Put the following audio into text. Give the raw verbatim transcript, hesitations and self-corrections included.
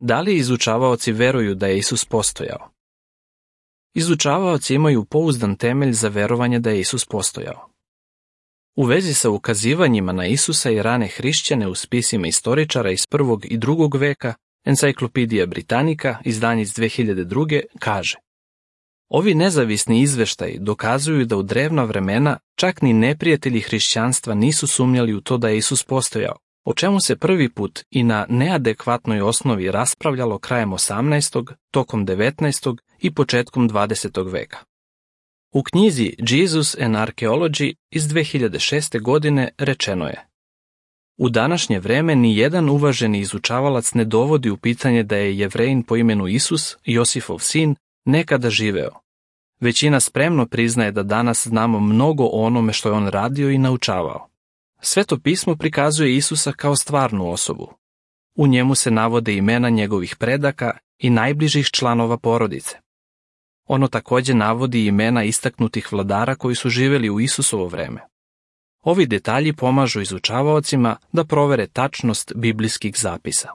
Da li izučavaoci veruju da je Isus postojao? Izučavaoci imaju pouzdan temelj za verovanje da je Isus postojao. U vezi sa ukazivanjima na Isusa i rane hrišćane u spisima istoričara iz prvog i drugog veka, Encyclopedia Britannica, izdanje iz dve hiljade druge, kaže: ovi nezavisni izveštaji dokazuju da u drevna vremena čak ni neprijatelji hrišćanstva nisu sumnjali u to da je Isus postojao, o čemu se prvi put i na neadekvatnoj osnovi raspravljalo krajem osamnaestog, tokom devetnaestog i početkom dvadesetog veka. U knjizi Jesus and Archaeology iz dve hiljade šeste. godine rečeno je: u današnje vreme ni jedan uvaženi izučavalac ne dovodi u pitanje da je Jevrejin po imenu Isus, Josifov sin, nekada živeo. Većina spremno priznaje da danas znamo mnogo o onome što je on radio i naučavao. Sveto pismo prikazuje Isusa kao stvarnu osobu. U njemu se navode imena njegovih predaka i najbližih članova porodice. Ono takođe navodi imena istaknutih vladara koji su živeli u Isusovo vreme. Ovi detalji pomažu izučavaocima da provere tačnost biblijskih zapisa.